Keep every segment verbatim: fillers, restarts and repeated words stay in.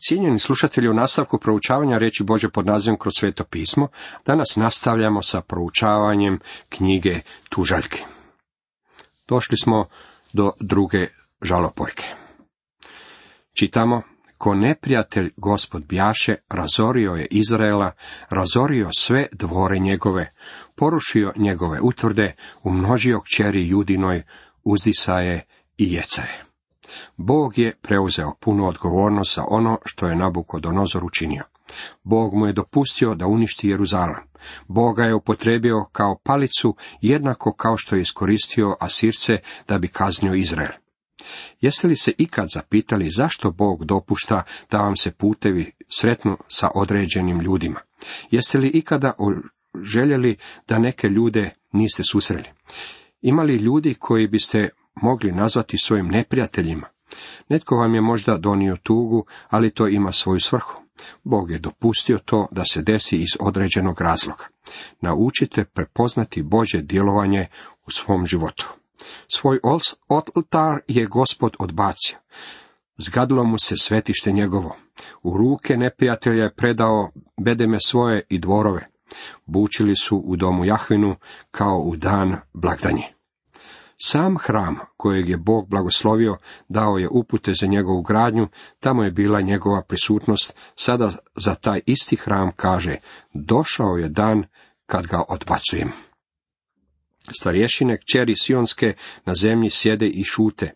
Cijenjeni slušatelji, u nastavku proučavanja riječi Božje pod nazivom Kroz sveto pismo, danas nastavljamo sa proučavanjem knjige Tužaljke. Došli smo do druge žalopojke. Čitamo: Ko neprijatelj Gospod bjaše, razorio je Izraela, razorio sve dvore njegove, porušio njegove utvrde, umnožio kćeri Judinoj, uzdisaje i jecaje. Bog je preuzeo punu odgovornost za ono što je Nabukodonozor učinio. Bog mu je dopustio da uništi Jeruzalem. Bog ga je upotrijebio kao palicu, jednako kao što je iskoristio Asirce da bi kaznio Izrael. Jeste li se ikad zapitali zašto Bog dopušta da vam se putevi sretnu sa određenim ljudima? Jeste li ikada željeli da neke ljude niste susreli? Ima li ljudi koji biste mogli nazvati svojim neprijateljima? Netko vam je možda donio tugu, ali to ima svoju svrhu. Bog je dopustio to da se desi iz određenog razloga. Naučite prepoznati Božje djelovanje u svom životu. Svoj oltar je Gospod odbacio. Zgadilo mu se svetište njegovo. U ruke neprijatelja je predao bedeme svoje i dvorove. Bučili su u domu Jahvinu kao u dan blagdanje. Sam hram kojeg je Bog blagoslovio dao je upute za njegovu gradnju, tamo je bila njegova prisutnost, sada za taj isti hram kaže: došao je dan kad ga odbacujem. Starješine kćeri Sionske na zemlji sjede i šute,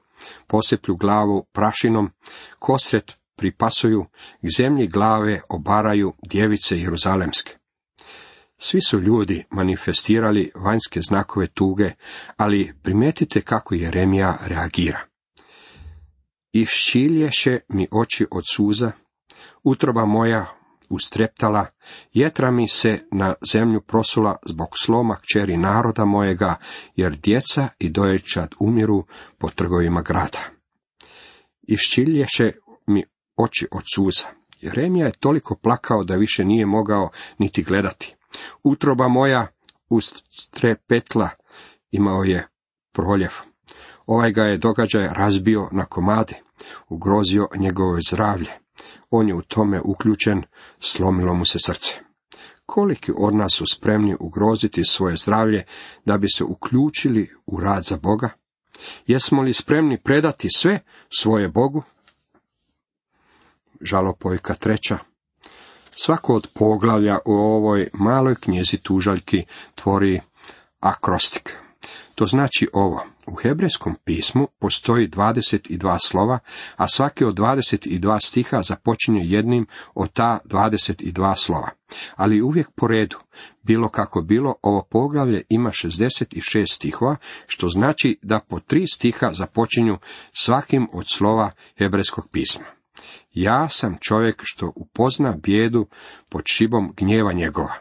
poseplju glavu prašinom, kosret pripasuju, k zemlji glave obaraju djevice jeruzalemske. Svi su ljudi manifestirali vanjske znakove tuge, ali primijetite kako Jeremija reagira. Iščilješe mi oči od suza, utroba moja ustreptala, jetra mi se na zemlju prosula zbog sloma kćeri naroda mojega, jer djeca i doječad umiru po trgovima grada. Iščilješe mi oči od suza. Jeremija je toliko plakao da više nije mogao niti gledati. Utroba moja ustrepetla, imao je proljev. Ovaj ga je događaj razbio na komade, ugrozio njegovo zdravlje. On je u tome uključen, slomilo mu se srce. Koliki od nas su spremni ugroziti svoje zdravlje da bi se uključili u rad za Boga? Jesmo li spremni predati sve svoje Bogu? Žalopojka treća. Svako od poglavlja u ovoj maloj knjizi Tužaljki tvori akrostik. To znači ovo: u hebrejskom pismu postoji dvadeset dva slova, a svaki od dvadeset dva stiha započinje jednim od ta dvadeset dva slova. Ali uvijek po redu. Bilo kako bilo, ovo poglavlje ima šezdeset šest stihova, što znači da po tri stiha započinju svakim od slova hebrejskog pisma. Ja sam čovjek što upozna bijedu pod šibom gnjeva njegova.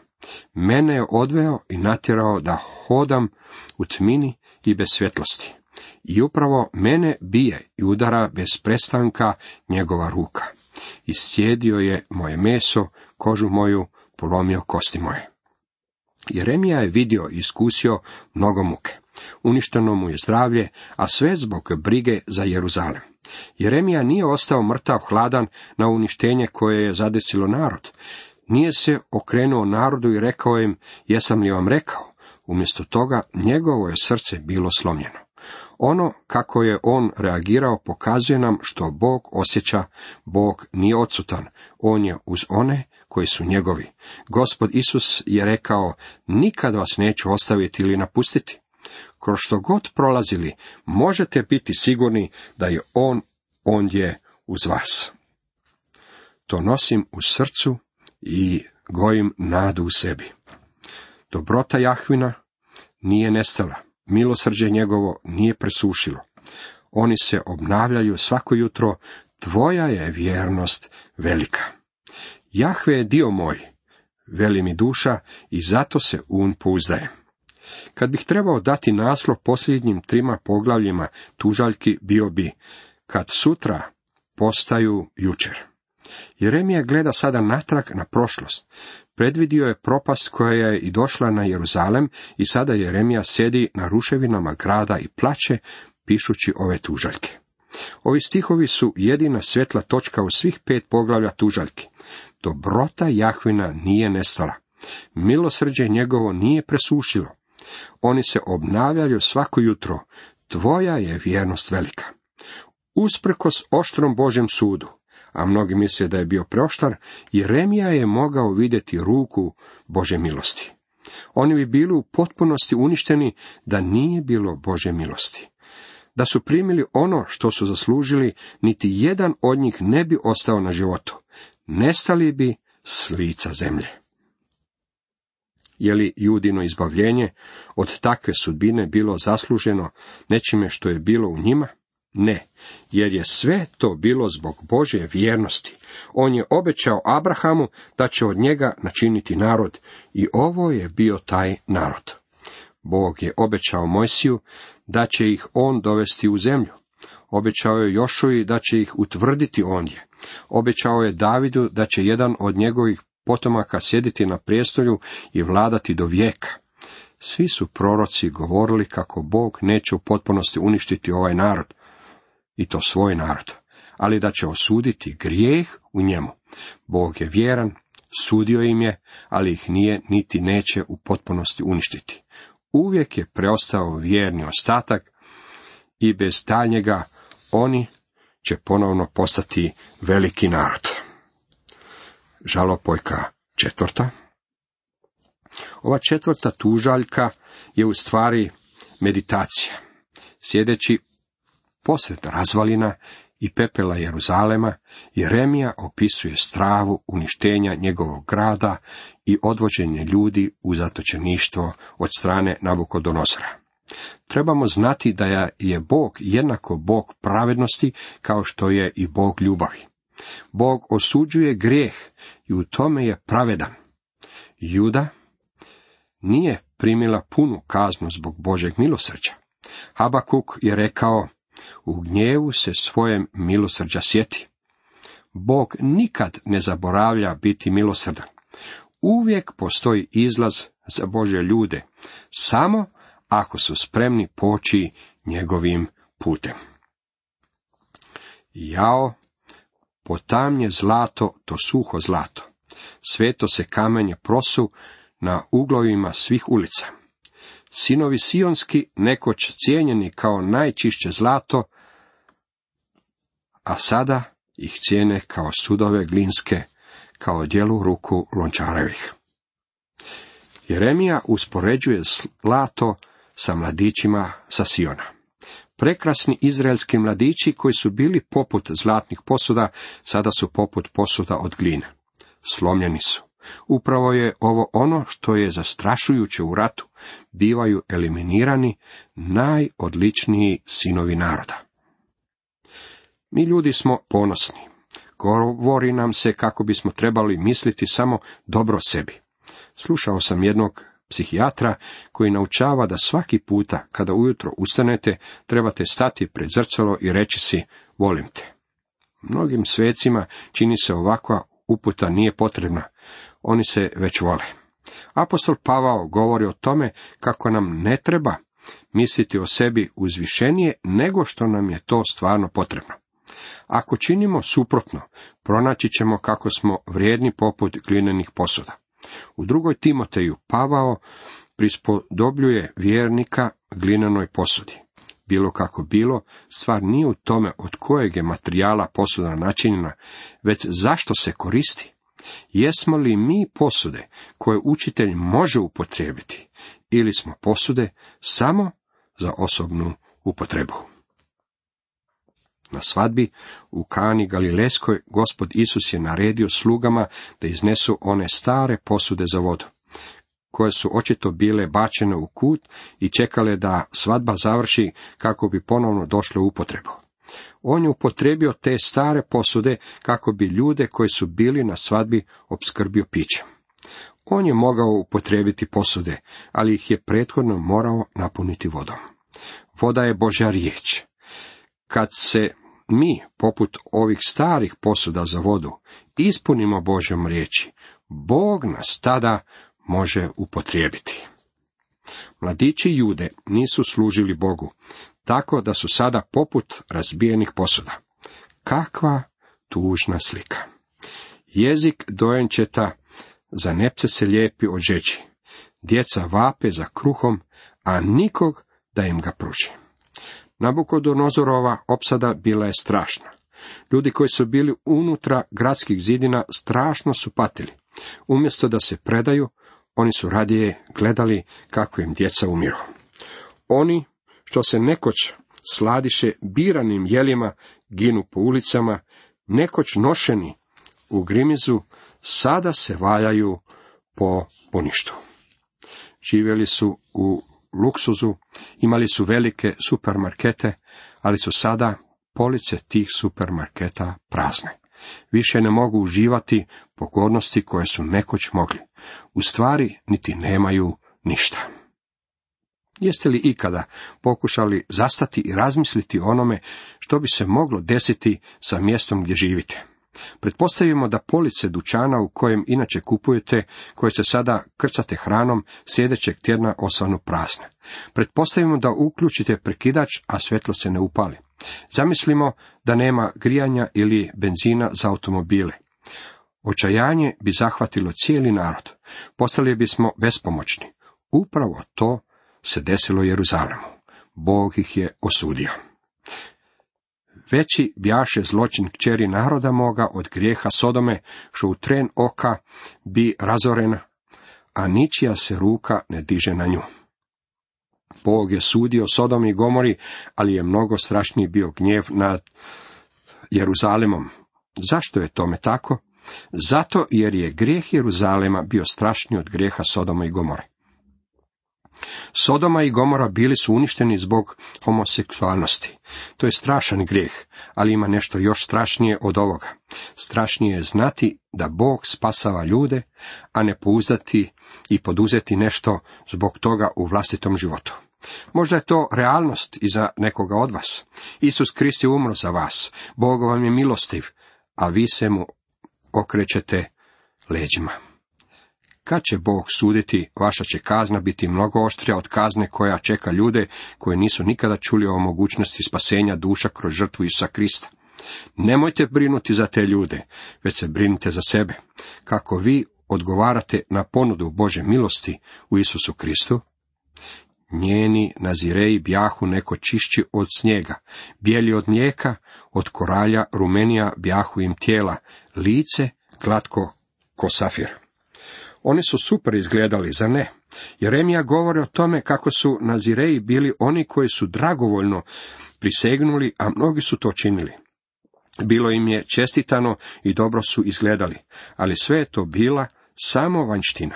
Mene je odveo i natjerao da hodam u tmini i bez svjetlosti. I upravo mene bije i udara bez prestanka njegova ruka. Iscijedio je moje meso, kožu moju, polomio kosti moje. Jeremija je vidio i iskusio mnogo muke. Uništeno mu je zdravlje, a sve zbog brige za Jeruzalem. Jeremija nije ostao mrtav hladan na uništenje koje je zadesilo narod. Nije se okrenuo narodu i rekao im: jesam li vam rekao? Umjesto toga njegovo je srce bilo slomljeno. Ono kako je on reagirao pokazuje nam što Bog osjeća. Bog nije odsutan, on je uz one koji su njegovi. Gospod Isus je rekao: nikad vas neću ostaviti ili napustiti. Kroz što god prolazili, možete biti sigurni da je on ondje uz vas. To nosim u srcu i gojim nadu u sebi. Dobrota Jahvina nije nestala, milosrđe njegovo nije presušilo. Oni se obnavljaju svako jutro, tvoja je vjernost velika. Jahve je dio moj, veli mi duša, i zato se um pouzdaje. Kad bih trebao dati naslov posljednjim trima poglavljima Tužaljki, bio bi: kad sutra postaju jučer. Jeremija gleda sada natrag na prošlost. Predvidio je propast koja je i došla na Jeruzalem i sada Jeremija sjedi na ruševinama grada i plače, pišući ove tužaljke. Ovi stihovi su jedina svjetla točka u svih pet poglavlja tužaljki. Dobrota Jahvina nije nestala. Milosrđe njegovo nije presušilo. Oni se obnavljaju svako jutro. Tvoja je vjernost velika. Usprkos oštrom Božjem sudu, a mnogi misle da je bio preoštar, Jeremija je mogao vidjeti ruku Božje milosti. Oni bi bili u potpunosti uništeni da nije bilo Božje milosti. Da su primili ono što su zaslužili, niti jedan od njih ne bi ostao na životu. Nestali bi s lica zemlje. Je li Judino izbavljenje od takve sudbine bilo zasluženo nečime što je bilo u njima? Ne, jer je sve to bilo zbog Božje vjernosti. On je obećao Abrahamu da će od njega načiniti narod, i ovo je bio taj narod. Bog je obećao Mojsiju da će ih on dovesti u zemlju. Obećao je Jošuji da će ih utvrditi ondje. Obećao je Davidu da će jedan od njegovih potomaka sjediti na prijestolju i vladati do vijeka. Svi su proroci govorili kako Bog neće u potpunosti uništiti ovaj narod, i to svoj narod, ali da će osuditi grijeh u njemu. Bog je vjeran, sudio im je, ali ih nije niti neće u potpunosti uništiti. Uvijek je preostao vjerni ostatak i bez daljnjega oni će ponovno postati veliki narod. Žalopojka četvrta. Ova četvrta tužaljka je u stvari meditacija. Sjedeći posred razvalina i pepela Jeruzalema, Jeremija opisuje stravu uništenja njegovog grada i odvođenje ljudi u zatočeništvo od strane Nabukodonozora. Trebamo znati da je Bog jednako Bog pravednosti kao što je i Bog ljubavi. Bog osuđuje grijeh i u tome je pravedan. Juda nije primila punu kaznu zbog Božjeg milosrđa. Habakuk je rekao: u gnjevu se svojem milosrđa sjeti. Bog nikad ne zaboravlja biti milosrdan. Uvijek postoji izlaz za Božje ljude, samo ako su spremni poći njegovim putem. Jao, potamnje zlato, to suho zlato. Sveto se kamenje prosu na uglovima svih ulica. Sinovi sionski, nekoć cijenjeni kao najčišće zlato, a sada ih cijene kao sudove glinske, kao djelu ruku lončarevih. Jeremija uspoređuje zlato sa mladićima sa Siona. Prekrasni izraelski mladići koji su bili poput zlatnih posuda, sada su poput posuda od gline. Slomljeni su. Upravo je ovo ono što je zastrašujuće u ratu. Bivaju eliminirani najodličniji sinovi naroda. Mi ljudi smo ponosni. Govori nam se kako bismo trebali misliti samo dobro o sebi. Slušao sam jednog psihijatra koji naučava da svaki puta kada ujutro ustanete trebate stati pred zrcalo i reći si: volim te. Mnogim svecima čini se ovakva uputa nije potrebna. Oni se već vole. Apostol Pavao govori o tome kako nam ne treba misliti o sebi uzvišenije nego što nam je to stvarno potrebno. Ako činimo suprotno, pronaći ćemo kako smo vrijedni poput glinenih posuda. U drugoj Timoteju Pavao prispodobljuje vjernika glinenoj posudi. Bilo kako bilo, stvar nije u tome od kojeg je materijala posuda načinjena, već zašto se koristi. Jesmo li mi posude koje učitelj može upotrijebiti, ili smo posude samo za osobnu upotrebu? Na svadbi u Kani Galilejskoj Gospod Isus je naredio slugama da iznesu one stare posude za vodu, koje su očito bile bačene u kut i čekale da svadba završi kako bi ponovno došle u upotrebu. On je upotrijebio te stare posude kako bi ljude koji su bili na svadbi opskrbio pićem. On je mogao upotrijebiti posude, ali ih je prethodno morao napuniti vodom. Voda je Božja riječ. Kad se mi, poput ovih starih posuda za vodu, ispunimo Božjom riječi, Bog nas tada može upotrijebiti. Mladići Jude nisu služili Bogu, tako da su sada poput razbijenih posuda. Kakva tužna slika! Jezik dojenčeta za nepce se lijepi od žeđi. Djeca vape za kruhom, a nikog da im ga pruži. Nabukodonozorova opsada bila je strašna. Ljudi koji su bili unutra gradskih zidina strašno su patili. Umjesto da se predaju, oni su radije gledali kako im djeca umiru. Oni što se nekoć sladiše biranim jelima ginu po ulicama, nekoć nošeni u grimizu, sada se valjaju po poništu. Živjeli su u luksuzu, imali su velike supermarkete, ali su sada police tih supermarketa prazne. Više ne mogu uživati pogodnosti koje su nekoć mogli. U stvari niti nemaju ništa. Jeste li ikada pokušali zastati i razmisliti o onome što bi se moglo desiti sa mjestom gdje živite? Pretpostavimo da police dućana u kojem inače kupujete, koje se sada krcate hranom, sljedećeg tjedna osvanu prazne. Pretpostavimo da uključite prekidač, a svjetlo se ne upali. Zamislimo da nema grijanja ili benzina za automobile. Očajanje bi zahvatilo cijeli narod. Postali bismo bespomoćni. Upravo to se desilo Jeruzalemu. Bog ih je osudio. Veći bjaše zločin kćeri naroda moga od grijeha Sodome, što u tren oka bi razorena, a ničija se ruka ne diže na nju. Bog je sudio Sodomi i Gomori, ali je mnogo strašniji bio gnjev nad Jeruzalemom. Zašto je tome tako? Zato jer je grijeh Jeruzalema bio strašniji od grijeha Sodoma i Gomore. Sodoma i Gomora bili su uništeni zbog homoseksualnosti. To je strašan grijeh, ali ima nešto još strašnije od ovoga. Strašnije je znati da Bog spasava ljude, a ne pouzdati i poduzeti nešto zbog toga u vlastitom životu. Možda je to realnost i za nekoga od vas. Isus Krist je umro za vas. Bog vam je milostiv, a vi se mu okrećete leđima. Kad će Bog suditi, vaša će kazna biti mnogo oštrija od kazne koja čeka ljude koji nisu nikada čuli o mogućnosti spasenja duša kroz žrtvu Isusa Krista. Nemojte brinuti za te ljude, već se brinite za sebe. Kako vi odgovarate na ponudu Božje milosti u Isusu Kristu? Njeni nazireji bjahu neko čišći od snijega, bijeli od mlijeka, od koralja rumenija bjahu im tijela, lice glatko ko safir. Oni su super izgledali, zar ne? Jeremija govori o tome kako su nazireji bili oni koji su dragovoljno prisegnuli, a mnogi su to činili. Bilo im je čestitano i dobro su izgledali, ali sve je to bila samo vanjština.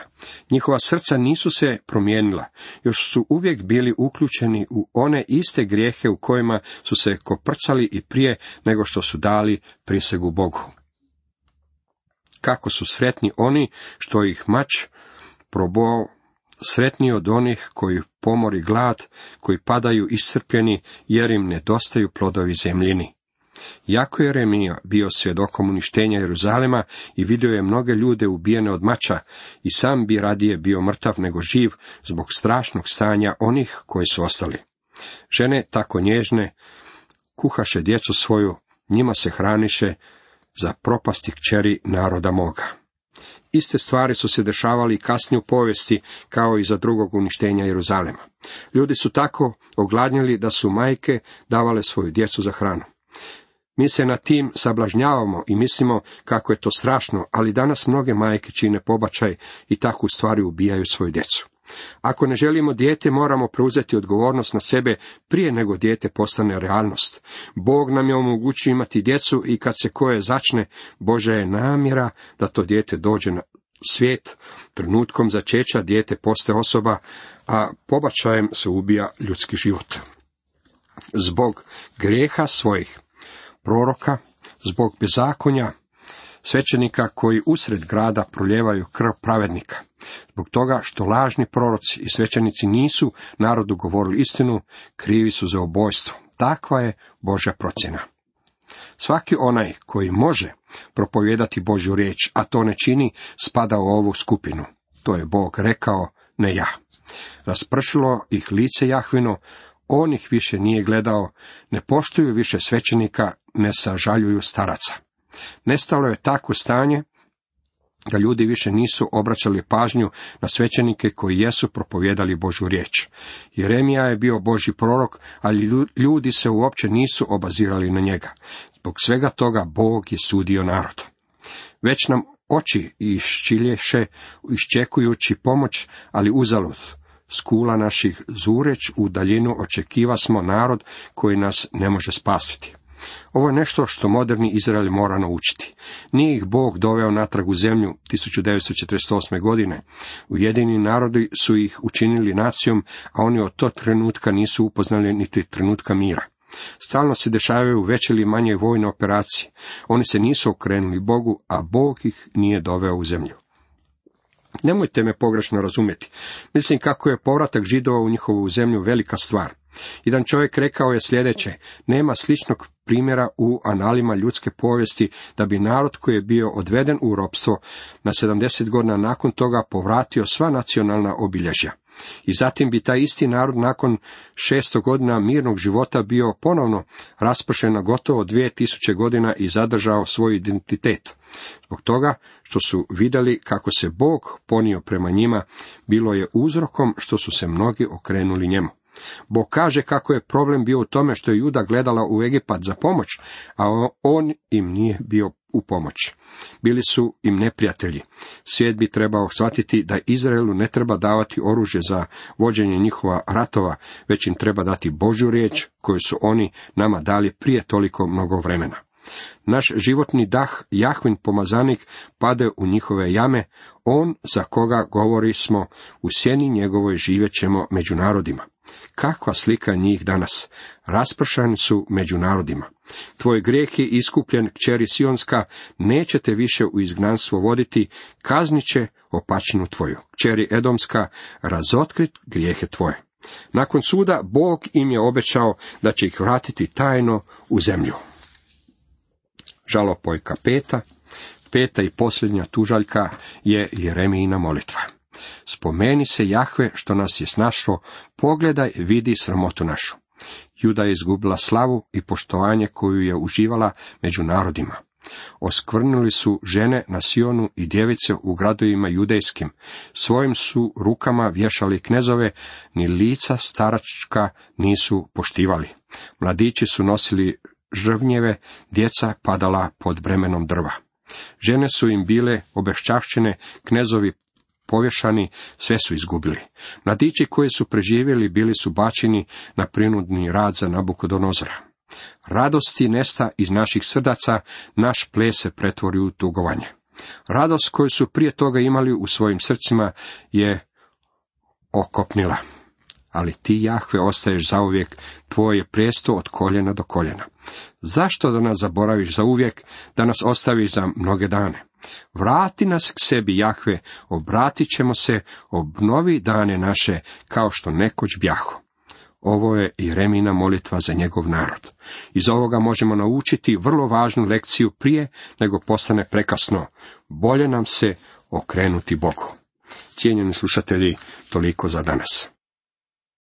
Njihova srca nisu se promijenila, još su uvijek bili uključeni u one iste grijehe u kojima su se koprcali i prije nego što su dali prisegu Bogu. Kako su sretni oni što ih mač probao, sretni od onih koji pomori glad, koji padaju iscrpljeni jer im nedostaju plodovi zemljini. Jako je Jeremija bio svjedokom uništenja Jeruzalema i vidio je mnoge ljude ubijene od mača i sam bi radije bio mrtav nego živ zbog strašnog stanja onih koji su ostali. Žene tako nježne kuhaše djecu svoju, njima se hraniše za propasti kćeri naroda moga. Iste stvari su se dešavali kasnije u povijesti kao i za drugog uništenja Jeruzalema. Ljudi su tako ogladnjeli da su majke davale svoju djecu za hranu. Mi se nad tim sablažnjavamo i mislimo kako je to strašno, ali danas mnoge majke čine pobačaj i takvu stvari ubijaju svoju djecu. Ako ne želimo dijete, moramo preuzeti odgovornost na sebe prije nego dijete postane realnost. Bog nam je omogućio imati djecu i kad se koje začne, Božja je namjera da to dijete dođe na svijet. Trenutkom začeća dijete postaje osoba, a pobačajem se ubija ljudski život. Zbog grijeha svojih proroka, zbog bezakonja svećenika koji usred grada proljevaju krv pravednika, zbog toga što lažni proroci i svećenici nisu narodu govorili istinu, krivi su za ubojstvo. Takva je Božja procjena. Svaki onaj koji može propovijedati Božju riječ, a to ne čini, spada u ovu skupinu. To je Bog rekao, ne ja. Raspršilo ih lice Jahvino, On ih više nije gledao, ne poštuju više svećenika, ne sažaljuju staraca. Nestalo je takvo stanje da ljudi više nisu obraćali pažnju na svećenike koji jesu propovijedali Božju riječ. Jeremija je bio Božji prorok, ali ljudi se uopće nisu obazirali na njega. Zbog svega toga Bog je sudio narod. Već nam oči iščilješe, iščekujući pomoć, ali uzalud. S kula naših zureć u daljinu očekiva smo narod koji nas ne može spasiti. Ovo je nešto što moderni Izrael mora naučiti. Nije ih Bog doveo natrag u zemlju tisuću devetsto četrdeset osme. godine. Ujedinjeni narodi su ih učinili nacijom, a oni od tog trenutka nisu upoznali niti trenutka mira. Stalno se dešavaju veće ili manje vojne operacije. Oni se nisu okrenuli Bogu, a Bog ih nije doveo u zemlju. Nemojte me pogrešno razumjeti. Mislim kako je povratak Židova u njihovu zemlju velika stvar. Jedan čovjek rekao je sljedeće: nema sličnog primjera u analima ljudske povijesti da bi narod koji je bio odveden u ropstvo na sedamdeset godina nakon toga povratio sva nacionalna obilježja. I zatim bi taj isti narod nakon šesto godina mirnog života bio ponovno raspršen na gotovo dvije tisuće godina i zadržao svoj identitet. Zbog toga što su vidjeli kako se Bog ponio prema njima, bilo je uzrokom što su se mnogi okrenuli njemu. Bog kaže kako je problem bio u tome što je Juda gledala u Egipat za pomoć, a on im nije bio u pomoć. Bili su im neprijatelji. Svijet bi trebao shvatiti da Izraelu ne treba davati oružje za vođenje njihova ratova, već im treba dati Božju riječ koju su oni nama dali prije toliko mnogo vremena. Naš životni dah, Jahvin pomazanik, pade u njihove jame, on za koga govori smo, u sjeni njegovoj živjet ćemo među narodima. Kakva slika njih danas? Raspršani su među narodima. Tvoj grijeh je iskupljen, kćeri Sionska, nećete više u izgnanstvo voditi, kaznit će opačinu tvoju. Kćeri Edomska, razotkrit grijehe tvoje. Nakon suda Bog im je obećao da će ih vratiti tajno u zemlju. Žalopojka peta, peta i posljednja tužaljka je Jeremijina molitva. Spomeni se Jahve što nas je snašlo, pogledaj, vidi sramotu našu. Juda je izgubila slavu i poštovanje koju je uživala među narodima. Oskvrnuli su žene na Sionu i djevice u gradovima judejskim. Svojim su rukama vješali knezove, ni lica staračka nisu poštivali. Mladići su nosili žrvnjeve, djeca padala pod bremenom drva. Žene su im bile obeščašćene, knezovi povješani, sve su izgubili. Mladići koji su preživjeli bili su bačeni na prinudni rad za Nabukodonozora. Radosti nesta iz naših srdaca, naš ples se pretvori u tugovanje. Radost koju su prije toga imali u svojim srcima je okopnila. Ali ti, Jahve, ostaješ zauvijek, tvoj je prijesto od koljena do koljena. Zašto da nas zaboraviš zauvijek, da nas ostaviš za mnoge dane? Vrati nas k sebi, Jahve, obratit ćemo se, obnovi dane naše, kao što nekoć bjahu. Ovo je Jeremijina molitva za njegov narod. Iz ovoga možemo naučiti vrlo važnu lekciju prije nego postane prekasno. Bolje nam se okrenuti Bogu. Cijenjeni slušatelji, toliko za danas.